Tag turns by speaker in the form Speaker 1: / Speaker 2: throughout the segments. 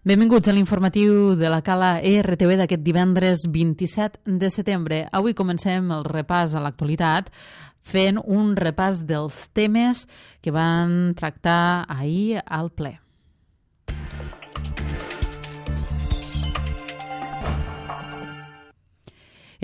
Speaker 1: Benvinguts a l'informatiu de la Cala ERTV d'aquest divendres 27 de setembre. Avui comencem el repàs a l'actualitat fent un repàs dels temes que van tractar ahir al ple.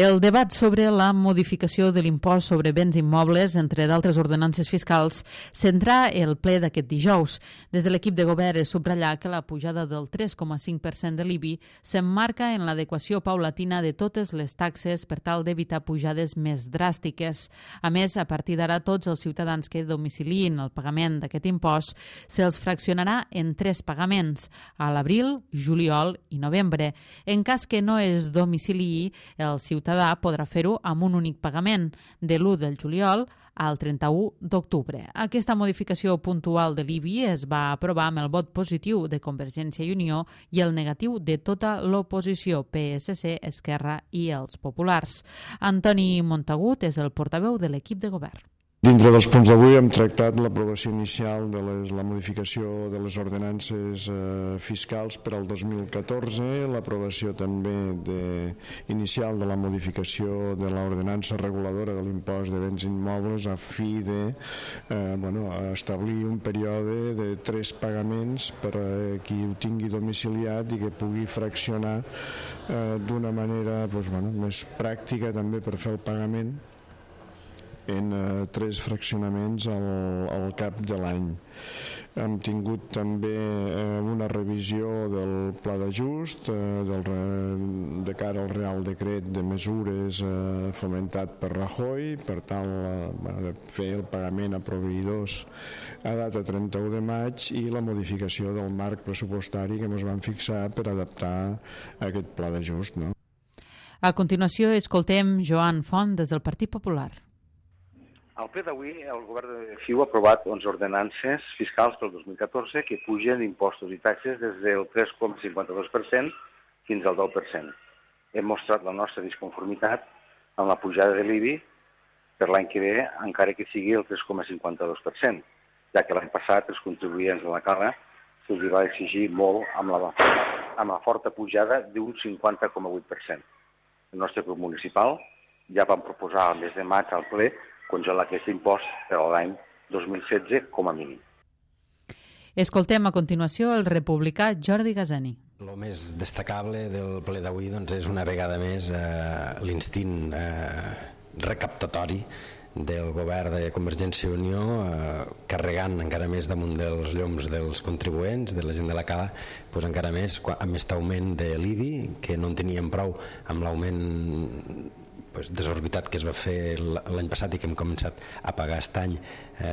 Speaker 1: El debat sobre la modificació de l'impost sobre béns immobles, entre d'altres ordenances fiscals, centrà el ple d'aquest dijous. Des de l'equip de govern es subratllà que la pujada del 3,5% de l'IBI s'emmarca en l'adequació paulatina de totes les taxes per tal d'evitar pujades més dràstiques. A més, a partir d'ara, tots els ciutadans que domiciliïn el pagament d'aquest impost se'ls fraccionarà en 3 pagaments, a l'abril, juliol i novembre. En cas que no es domiciliï, el ciutadà podrà fer-ho amb un únic pagament, de l'1 del juliol al 31 d'octubre. Aquesta modificació puntual de l'IBI es va aprovar amb el vot positiu de Convergència i Unió i el negatiu de tota l'oposició, PSC, Esquerra i els populars. Antoni Montagut és el portaveu de l'equip de govern.
Speaker 2: Dintre dels punts d'avui hem tractat l'aprovació inicial de la modificació de les ordenances fiscals per al 2014, l'aprovació també inicial de la modificació de l'ordenança reguladora de l'impost de béns immobles a fi de establir un període de 3 pagaments per a qui ho tingui domiciliat i que pugui fraccionar d'una manera més pràctica també per fer el pagament en 3 fraccionaments al cap de l'any. Hem tingut també una revisió del pla d'ajust de cara al Real Decret de mesures fomentat per Rajoy per tal de fer el pagament a proveïdors a data 31 de maig i la modificació del marc pressupostari que ens vam fixar per adaptar aquest pla d'ajust.
Speaker 1: A continuació, escoltem Joan Font des del Partit Popular.
Speaker 3: Al ple d'avui, el govern de FIU ha aprovat 11 ordenances fiscals pel 2014 que pugen impostos i taxes des del 3,52% fins al 10%. Hem mostrat la nostra disconformitat amb la pujada de l'IBI per l'any que ve, encara que sigui el 3,52%, ja que l'any passat els contribuents de la Cala se'ls va exigir molt amb la forta pujada d'un 50,8%. El nostre grup municipal ja vam proposar al mes de maig al ple congelar aquest impost per a l'any 2016 com a mínim.
Speaker 1: Escoltem a continuació el republicà Jordi Gazani.
Speaker 4: El més destacable del ple d'avui és una vegada més l'instint recaptatori del govern de Convergència i Unió carregant encara més damunt dels lloms dels contribuents, de la gent de la Cala, encara més amb aquest augment de l'IBI, que no en teníem prou amb l'augment desorbitat que es va fer l'any passat i que hem començat a pagar aquest any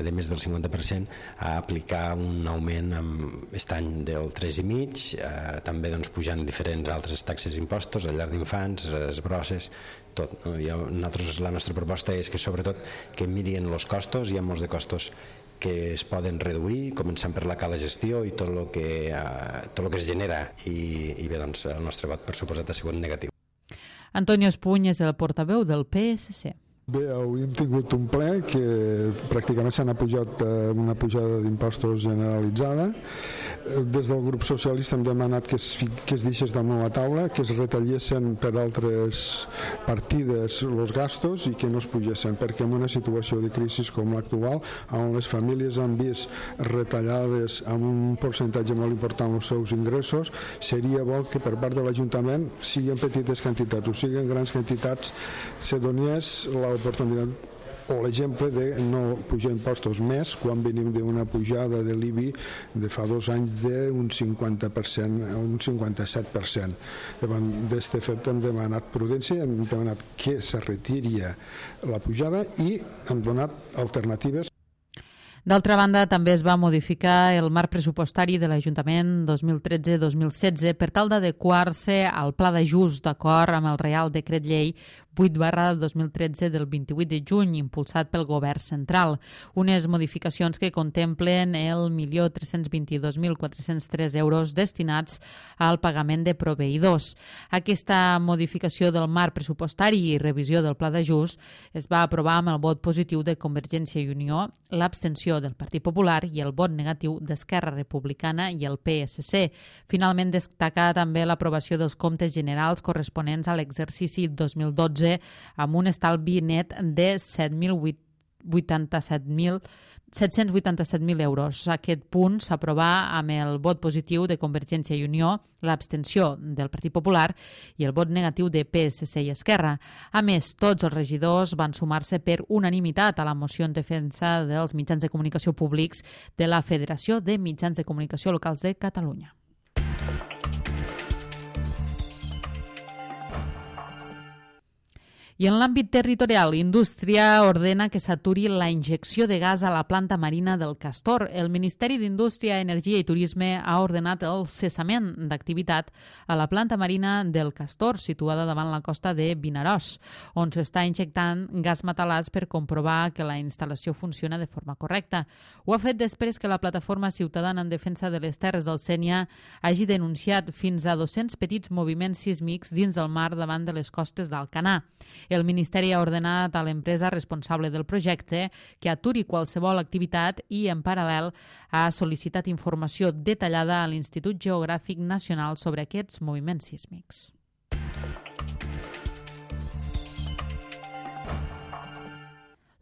Speaker 4: de més del 50%, a aplicar un augment aquest any del 3,5%, també pujant diferents altres taxes i impostos, a llar d'infants, les brosses, tot. La nostra proposta és que sobretot que mirin els costos, hi ha molts de costos que es poden reduir, començant per la Cala Gestió i tot el que es genera, i bé, el nostre vot per suposat ha sigut negatiu.
Speaker 1: Antonio Espuny és el portaveu del PSC.
Speaker 5: Bé, avui hem tingut un ple que pràcticament s'ha pujat una pujada d'impostos generalitzada. Des del grup socialista hem demanat que es deixés damunt la taula, que es retallessin per altres partides els gastos i que no es pugessin, perquè en una situació de crisi com l'actual, on les famílies han vist retallades amb un percentatge molt important els seus ingressos, seria bo que per part de l'Ajuntament, siguin petites quantitats o siguin grans quantitats, se donés l'oportunitat o l'exemple de no pujar impostos més quan venim d'una pujada de l'IBI de fa 2 anys d'un 50% a un 57%. Davant d'aquest fet hem demanat prudència, hem demanat que se retiria la pujada i hem donat alternatives.
Speaker 1: D'altra banda, també es va modificar el marc pressupostari de l'Ajuntament 2013-2016 per tal d'adequar-se al pla d'ajust d'acord amb el Real Decret Llei 8/2013 del 28 de juny, impulsat pel Govern central. Unes modificacions que contemplen el 1.322.403 euros destinats al pagament de proveïdors. Aquesta modificació del marc pressupostari i revisió del pla d'ajust es va aprovar amb el vot positiu de Convergència i Unió, l'abstenció abstenció del Partit Popular i el vot negatiu d'Esquerra Republicana i el PSC. Finalment, destaca també l'aprovació dels comptes generals corresponents a l'exercici 2012 amb un estalvi net de 787.000 euros. Aquest punt s'aprovà amb el vot positiu de Convergència i Unió, l'abstenció del Partit Popular i el vot negatiu de PSC i Esquerra. A més, tots els regidors van sumar-se per unanimitat a la moció en defensa dels mitjans de comunicació públics de la Federació de Mitjans de Comunicació Locals de Catalunya. I en l'àmbit territorial, Indústria ordena que s'aturi la injecció de gas a la planta marina del Castor. El Ministeri d'Indústria, Energia i Turisme ha ordenat el cessament d'activitat a la planta marina del Castor, situada davant la costa de Vinaròs, on s'està injectant gas metalàs per comprovar que la instal·lació funciona de forma correcta. Ho ha fet després que la plataforma ciutadana en defensa de les terres del Sénia hagi denunciat fins a 200 petits moviments sísmics dins del mar davant de les costes d'Alcanar. El Ministeri ha ordenat a l'empresa responsable del projecte que aturi qualsevol activitat i, en paral·lel, ha sol·licitat informació detallada a l'Institut Geogràfic Nacional sobre aquests moviments sísmics.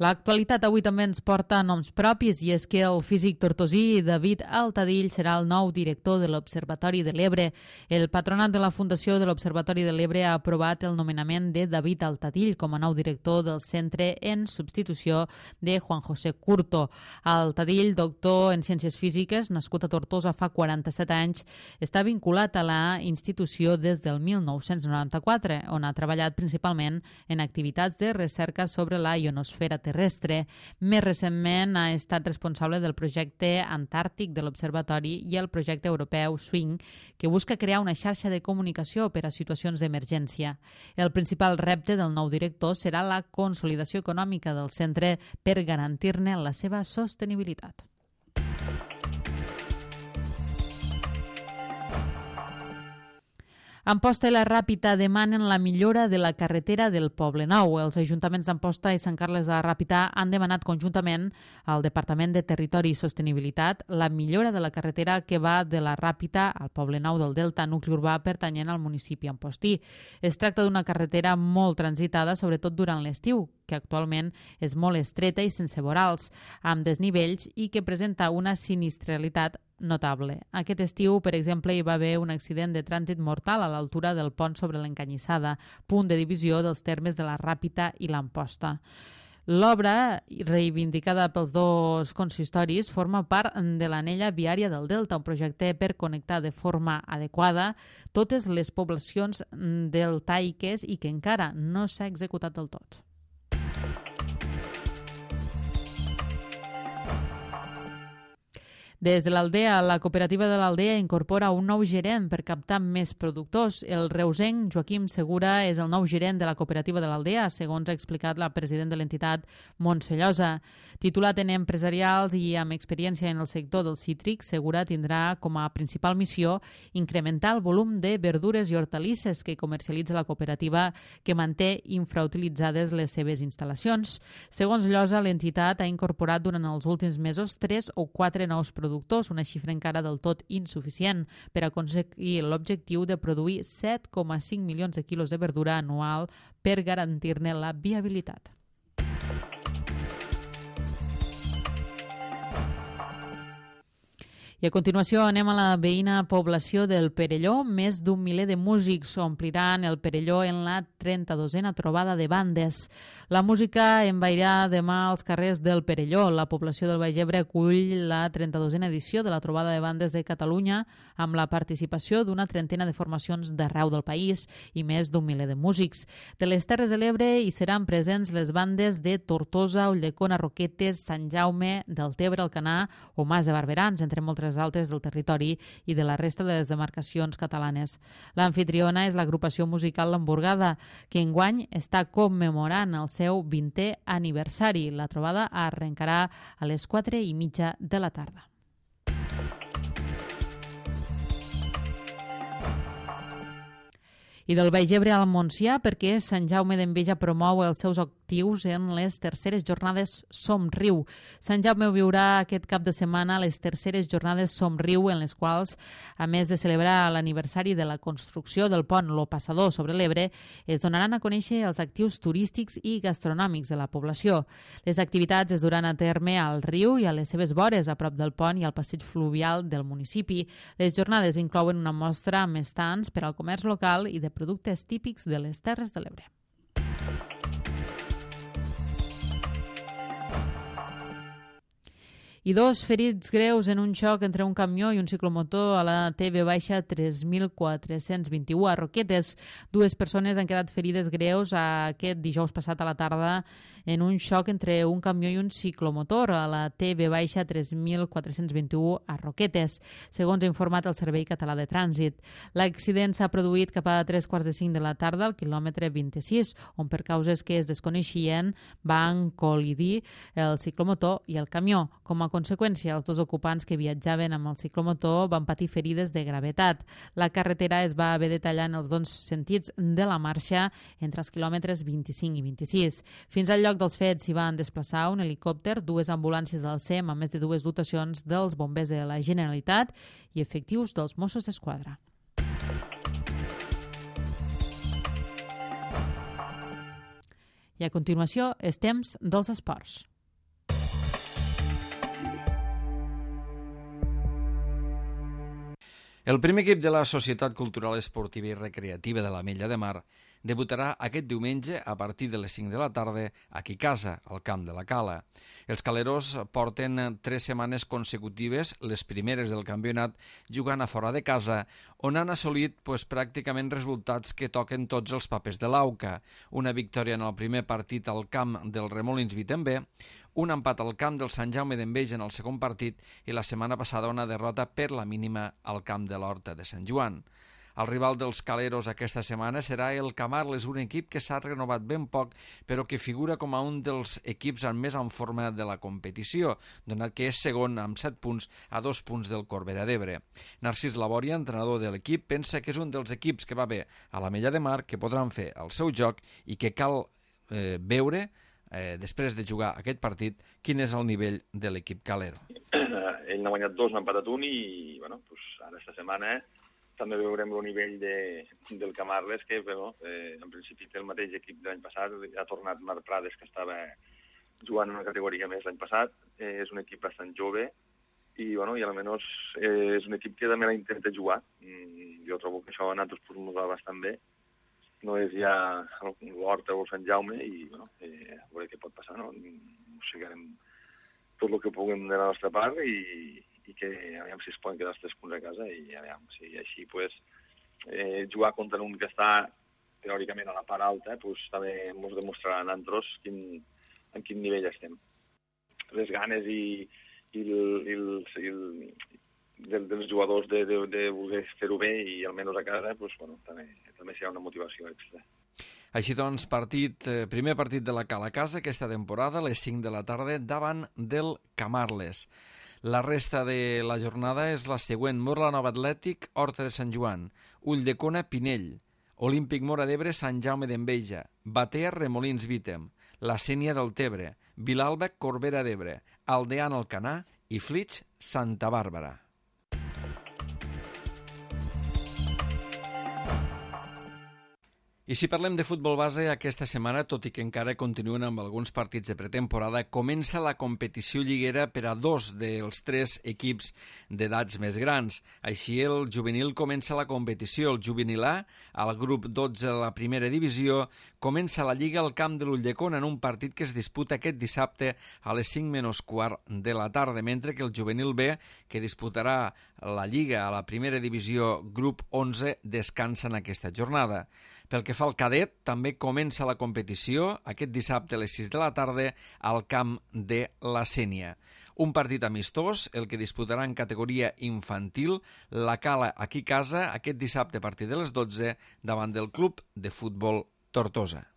Speaker 1: L'actualitat avui també ens porta noms propis i és que el físic tortosí David Altadill serà el nou director de l'Observatori de l'Ebre. El patronat de la Fundació de l'Observatori de l'Ebre ha aprovat el nomenament de David Altadill com a nou director del centre en substitució de Juan José Curto. Altadill, doctor en Ciències Físiques, nascut a Tortosa fa 47 anys, està vinculat a la institució des del 1994, on ha treballat principalment en activitats de recerca sobre la ionosfera terrestre. Més recentment ha estat responsable del projecte antàrtic de l'Observatori i el projecte europeu SWING, que busca crear una xarxa de comunicació per a situacions d'emergència. El principal repte del nou director serà la consolidació econòmica del centre per garantir-ne la seva sostenibilitat. Amposta i la Ràpita demanen la millora de la carretera del Poble Nou. Els ajuntaments d'Amposta i Sant Carles de la Ràpita han demanat conjuntament al Departament de Territori i Sostenibilitat la millora de la carretera que va de la Ràpita al Poble Nou del Delta, nucli urbà pertanyent al municipi ampostí. Es tracta d'una carretera molt transitada, sobretot durant l'estiu, que actualment és molt estreta i sense vorals, amb desnivells i que presenta una sinistralitat notable. Aquest estiu, per exemple, hi va haver un accident de trànsit mortal a l'altura del pont sobre l'Encanyissada, punt de divisió dels termes de la Ràpita i l'Amposta. L'obra, reivindicada pels dos consistoris, forma part de l'anella viària del Delta, un projecte per connectar de forma adequada totes les poblacions deltaiques i que encara no s'ha executat del tot. Des de l'Aldea, la cooperativa de l'Aldea incorpora un nou gerent per captar més productors. El reusenc Joaquim Segura és el nou gerent de la cooperativa de l'Aldea, segons ha explicat la president de l'entitat, Montse Llosa. Titulat en empresarials i amb experiència en el sector del cítric, Segura tindrà com a principal missió incrementar el volum de verdures i hortalisses que comercialitza la cooperativa, que manté infrautilitzades les seves instal·lacions. Segons Llosa, l'entitat ha incorporat durant els últims mesos 3 o 4 nous productors, una xifra encara del tot insuficient per aconseguir l'objectiu de produir 7,5 milions de quilos de verdura anual per garantir-ne la viabilitat. I a continuació anem a la veïna població del Perelló. Més d'un miler de músics ompliran el Perelló en la 32a trobada de bandes. La música envairà demà als carrers del Perelló. La població del Baix Ebre acull la 32a edició de la trobada de bandes de Catalunya amb la participació d'una trentena de formacions d'arreu del país i més d'un miler de músics. De les Terres de l'Ebre hi seran presents les bandes de Tortosa, Ulldecona, Roquetes, Sant Jaume, Deltebre, Alcanar o Mas de Barberans, entre moltes altres del territori i de la resta de les demarcacions catalanes. L'amfitriona és l'agrupació musical L'Hamburgada, que enguany està commemorant el seu 20è aniversari. La trobada arrencarà a les 4:30 de la tarda. I del Baix Ebre al Montsià, perquè Sant Jaume d'Enveja promou els seus actius en les terceres jornades Somriu. Sant Jaume viurà aquest cap de setmana les terceres jornades Somriu, en les quals, a més de celebrar l'aniversari de la construcció del pont Lo Passador sobre l'Ebre, es donaran a conèixer els actius turístics i gastronòmics de la població. Les activitats es duran a terme al riu i a les seves vores, a prop del pont i al passeig fluvial del municipi. Les jornades inclouen una mostra amb estants per al comerç local i de productes típics de les Terres de l'Ebre. I 2 ferits greus en un xoc entre un camió i un ciclomotor a la TV-3421 a Roquetes. 2 persones han quedat ferides greus aquest dijous passat a la tarda en un xoc entre un camió i un ciclomotor a la TV-3421 a Roquetes, segons ha informat el Servei Català de Trànsit. L'accident s'ha produït cap a 3:45 de la tarda al quilòmetre 26, on per causes que es desconeixien van col·lidir el ciclomotor i el camió. Com a conseqüència, els 2 ocupants que viatjaven amb el ciclomotor van patir ferides de gravetat. La carretera es va haver de tallar en els 2 sentits de la marxa entre els quilòmetres 25 i 26. Fins al lloc dels fets s'hi van desplaçar un helicòpter, 2 ambulàncies del SEM, a més de 2 dotacions dels bombers de la Generalitat i efectius dels Mossos d'Esquadra. I a continuació, és temps dels esports.
Speaker 6: El primer equip de la Societat Cultural Esportiva i Recreativa de l'Ametlla de Mar debutarà aquest diumenge a partir de les 5 de la tarda aquí a casa, al camp de la Cala. Els caleros porten 3 setmanes consecutives, les primeres del campionat, jugant a fora de casa, on han assolit pràcticament resultats que toquen tots els papers de l'AUCA. Una victòria en el primer partit al camp del Remolins Vitember, un empat al camp del Sant Jaume d'Enveja en el segon partit i la setmana passada una derrota per la mínima al camp de l'Horta de Sant Joan. El rival dels caleros aquesta setmana serà el Camarles, un equip que s'ha renovat ben poc, però que figura com a un dels equips més en forma de la competició, donat que és segon amb 7 punts a 2 punts del Corbera d'Ebre. Narcís Labòria, entrenador de l'equip, pensa que és un dels equips que va bé a l'Ametlla de Mar, que podran fer el seu joc i que cal veure després de jugar aquest partit, quin és el nivell de l'equip calero.
Speaker 7: Ell n'ha guanyat 2, n'ha empatat 1 i ara esta setmana també veurem el nivell del Camarles, que en principi té el mateix equip de l'any passat, ha tornat Marc Prades, que estava jugant en una categoria més l'any passat, és un equip bastant jove i almenys és un equip que també la intenta jugar. Jo trobo que això a nosaltres ens va bastant bé. No és ja l'Horta o el Sant Jaume i a veure què pot passar, no? Seguirem tot el que puguem de la nostra part i que aviam si es poden quedar els 3 punts a casa i aviam si així jugar contra un que està teòricament a la part alta també ens demostrarà a nosaltres en quin nivell estem. Les ganes dels jugadors de voler fer-ho bé i almenys a casa també serà una motivació extra.
Speaker 6: Així doncs, primer partit de la Cala a casa aquesta temporada, a les 5 de la tarda, davant del Camarles. La resta de la jornada és la següent: Morla Nova Atlètic, Horta de Sant Joan, Ulldecona, Pinell, Olímpic Móra d'Ebre, Sant Jaume d'Enveja, Batea, Remolins Vítem, La Sénia del Tebre, Vilalba, Corbera d'Ebre, Aldean, Alcanar i Flix, Santa Bàrbara. I si parlem de futbol base, aquesta setmana, tot i que encara continuen amb alguns partits de pretemporada, comença la competició lliguera per a 2 dels 3 equips d'edats més grans. Així, el juvenil comença la competició. El juvenil A, al grup 12 de la primera divisió, comença la lliga al camp de l'Ulldecona en un partit que es disputa aquest dissabte a les 5:15 de la tarda, mentre que el juvenil B, que disputarà la lliga a la primera divisió grup 11, descansa en aquesta jornada. Pel que fa al cadet, també comença la competició aquest dissabte a les 6 de la tarda al camp de la Sénia. Un partit amistós, el que disputarà en categoria infantil la Cala aquí a casa aquest dissabte a partir de les 12 davant del Club de Futbol Tortosa.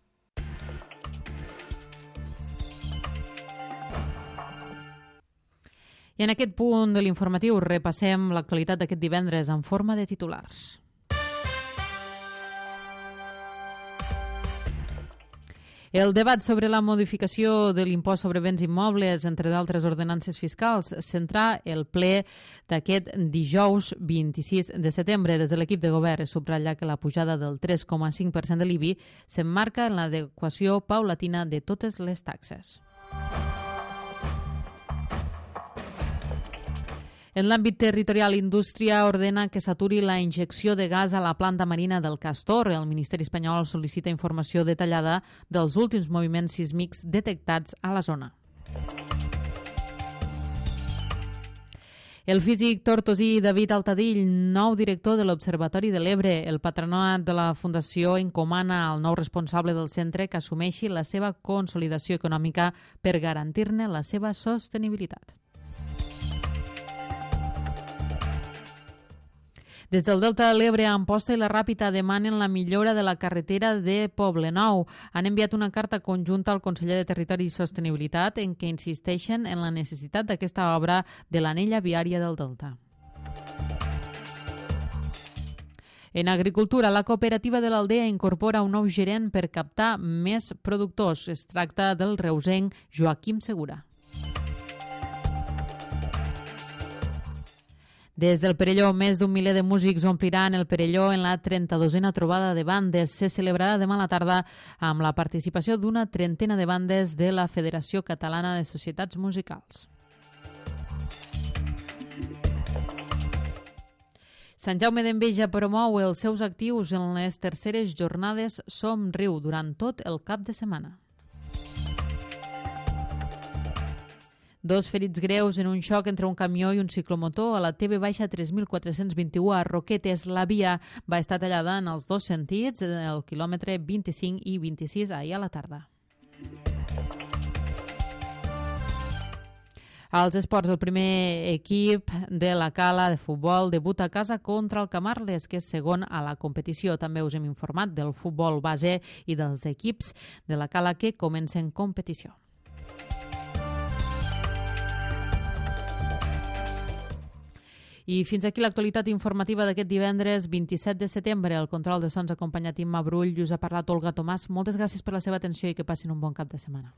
Speaker 1: I en aquest punt de l'informatiu repassem l'actualitat d'aquest divendres en forma de titulars. El debat sobre la modificació de l'impost sobre béns immobles, entre d'altres ordenances fiscals, centrà el ple d'aquest dijous 26 de setembre. Des de l'equip de govern es subratlla que la pujada del 3,5% de l'IBI s'emmarca en l'adequació paulatina de totes les taxes. En l'àmbit territorial, Indústria ordena que s'aturi la injecció de gas a la planta marina del Castor. El Ministeri espanyol sol·licita informació detallada dels últims moviments sísmics detectats a la zona. El físic tortosí David Altadill, nou director de l'Observatori de l'Ebre. El patronat de la Fundació encomana al nou responsable del centre que assumeixi la seva consolidació econòmica per garantir-ne la seva sostenibilitat. Des del Delta de l'Ebre, Amposta i la Ràpita demanen la millora de la carretera de Poblenou. Han enviat una carta conjunta al conseller de Territori i Sostenibilitat en què insisteixen en la necessitat d'aquesta obra de l'anella viària del Delta. En agricultura, la cooperativa de l'Aldea incorpora un nou gerent per captar més productors. Es tracta del reusenc Joaquim Segura. Des del Perelló, més d'un miler de músics ompliran el Perelló en la 32a trobada de bandes. Se celebrarà demà a la tarda amb la participació d'una trentena de bandes de la Federació Catalana de Societats Musicals. Sant Jaume d'Enveja promou els seus actius en les terceres jornades Som Riu durant tot el cap de setmana. 2 ferits greus en un xoc entre un camió i un ciclomotor a la TV-3421 a Roquetes. La via va estar tallada en els dos sentits, el quilòmetre 25 i 26 ahir a la tarda. Als esports, el primer equip de la Cala de futbol debuta a casa contra el Camarles, que és segon a la competició. També us hem informat del futbol base i dels equips de la Cala que comencen competició. I fins aquí l'actualitat informativa d'aquest divendres 27 de setembre. El control de sons acompanyat Imma Brull i us ha parlat Olga Tomàs. Moltes gràcies per la seva atenció i que passin un bon cap de setmana.